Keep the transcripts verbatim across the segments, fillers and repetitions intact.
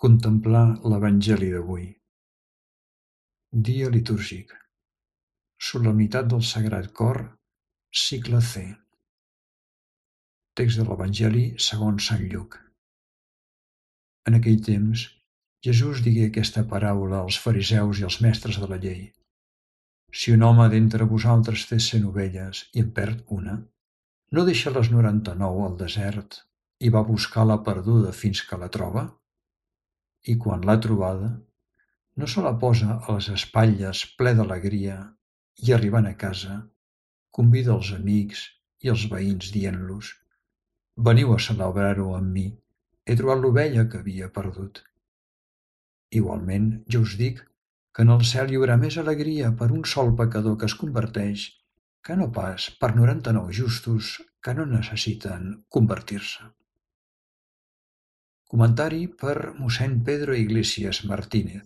Contemplar l'Evangeli d'avui. Dia litúrgic. Solemnitat del Sagrat Cor, cicle C. Text de l'Evangeli segons Sant Lluc. En aquell temps, Jesús digué aquesta paràbola als fariseus i als mestres de la llei. Si un home d'entre vosaltres té cent ovelles i en perd una, no deixa les noranta-nou al desert i va buscar la perduda fins que la troba? I quan l'ha trobada, no se la posa a les espatlles ple d'alegria i, arribant a casa, convida els amics i els veïns dient-los: «Veniu a celebrar-ho amb mi, he trobat l'ovella que havia perdut». Igualment, jo us dic que en el cel hi haurà més alegria per un sol pecador que es converteix que no pas per noranta-nou justos que no necessiten convertir-se. Comentari per mossèn Pedro Iglesias Martínez,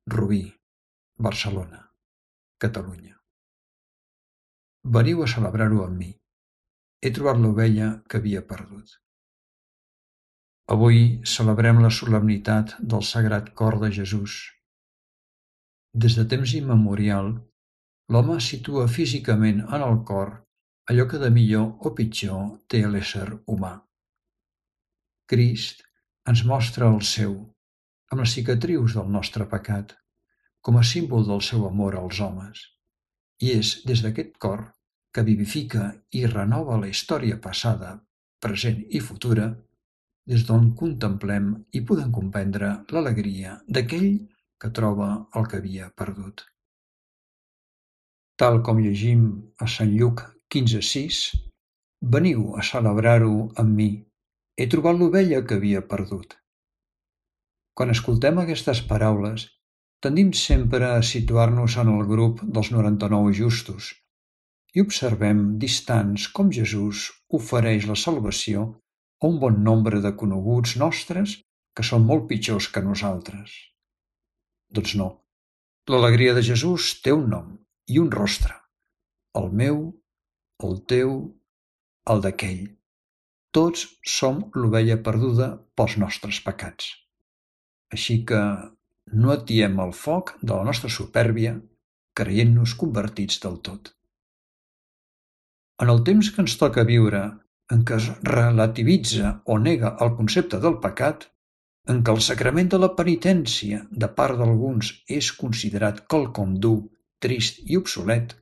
Rubí, Barcelona, Catalunya. Veniu a celebrar-ho amb mi. He trobat l'ovella que havia perdut. Avui celebrem la solemnitat del Sagrat Cor de Jesús. Des de temps immemorial, l'home situa físicament en el cor allò que de millor o pitjor té l'ésser humà. Crist ens mostra el seu, amb les cicatrius del nostre pecat, com a símbol del seu amor als homes. I és des d'aquest cor que vivifica i renova la història passada, present i futura, des d'on contemplem i podem comprendre l'alegria d'aquell que troba el que havia perdut. Tal com llegim a Sant Lluc quinze sis, veniu a celebrar-ho amb mi, he trobat l'ovella que havia perdut. Quan escoltem aquestes paraules, tendim sempre a situar-nos en el grup dels noranta-nou justos i observem distants com Jesús ofereix la salvació a un bon nombre de coneguts nostres que són molt pitjors que nosaltres. Doncs no, l'alegria de Jesús té un nom i un rostre: el meu, el teu, el d'aquell. Tots som l'ovella perduda pels nostres pecats. Així que no atiem el foc de la nostra supèrbia creient-nos convertits del tot. En el temps que ens toca viure, en què es relativitza o nega el concepte del pecat, en què el sacrament de la penitència de part d'alguns és considerat quelcom dur, trist i obsolet,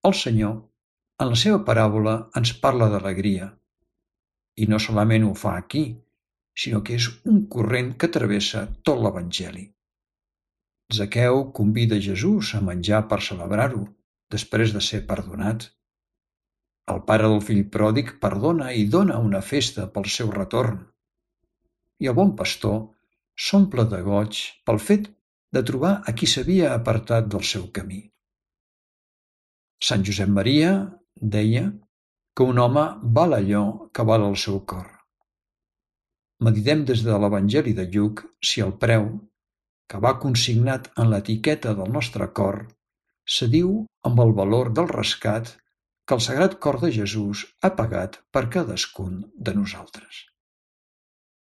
el Senyor, en la seva paràbola, ens parla d'alegria. I no solament ho fa aquí, sinó que és un corrent que travessa tot l'Evangeli. Zaqueu convida Jesús a menjar per celebrar-ho, després de ser perdonat. El pare del fill pròdig perdona i dona una festa pel seu retorn. I el bon pastor s'omple de goig pel fet de trobar a qui s'havia apartat del seu camí. Sant Josep Maria deia que un home val allò que val el seu cor. Meditem des de l'Evangeli de Lluc si el preu, que va consignat en l'etiqueta del nostre cor, s'adiu amb el valor del rescat que el Sagrat Cor de Jesús ha pagat per cadascun de nosaltres.